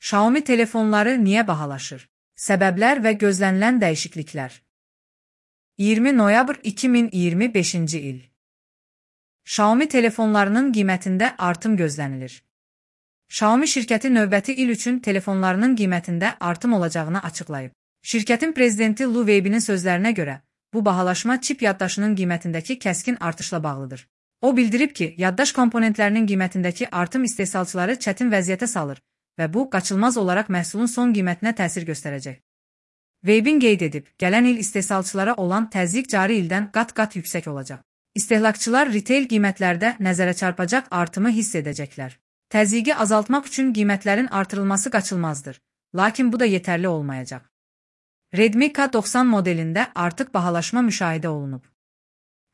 Xiaomi telefonları niyə bahalaşır? Səbəblər və gözlənilən dəyişikliklər. 20 noyabr 2025-ci il. Xiaomi telefonlarının qiymətində artım gözlənilir. Xiaomi şirkəti növbəti il üçün telefonlarının qiymətində artım olacağını açıqlayıb. Şirkətin prezidenti Lu Weibinin sözlərinə görə, bu bahalaşma çip yaddaşının qiymətindəki kəskin artışla bağlıdır. O bildirib ki, yaddaş komponentlərinin qiymətindəki artım istehsalçıları çətin vəziyyətə salır və bu, qaçılmaz olaraq məhsulun son qiymətinə təsir göstərəcək. Weibin qeyd edib, gələn il istehsalçılara olan təzyiq cari ildən qat-qat yüksək olacaq. İstehlakçılar retail qiymətlərdə nəzərə çarpacaq artımı hiss edəcəklər. Təzyiqi azaltmaq üçün qiymətlərin artırılması qaçılmazdır, lakin bu da yetərli olmayacaq. Redmi K90 modelində artıq bahalaşma müşahidə olunub.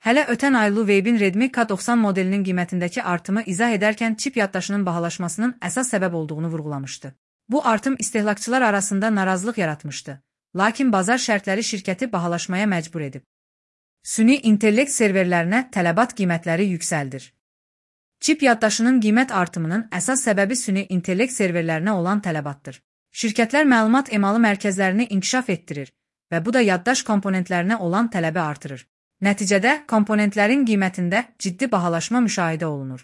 Hələ ötən ay Lu Weibin Redmi K90 modelinin qiymətindəki artımı izah edərkən çip yaddaşının bahalaşmasının əsas səbəb olduğunu vurğulamışdı. Bu artım istehlakçılar arasında narazılıq yaratmışdı, lakin bazar şərtləri şirkəti bahalaşmaya məcbur edib. Süni intellekt serverlərinə tələbat qiymətləri yüksəldir. Çip yaddaşının qiymət artımının əsas səbəbi süni intellekt serverlərinə olan tələbatdır. Şirkətlər məlumat emalı mərkəzlərini inkişaf etdirir və bu da yaddaş komponentlərinə olan tələbi artırır. Nəticədə, komponentlərin qiymətində ciddi bahalaşma müşahidə olunur.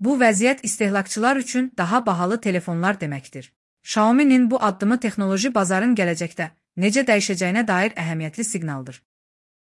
Bu vəziyyət istehlakçılar üçün daha bahalı telefonlar deməkdir. Xiaomi'nin bu addımı texnoloji bazarın gələcəkdə necə dəyişəcəyinə dair əhəmiyyətli siqnaldır.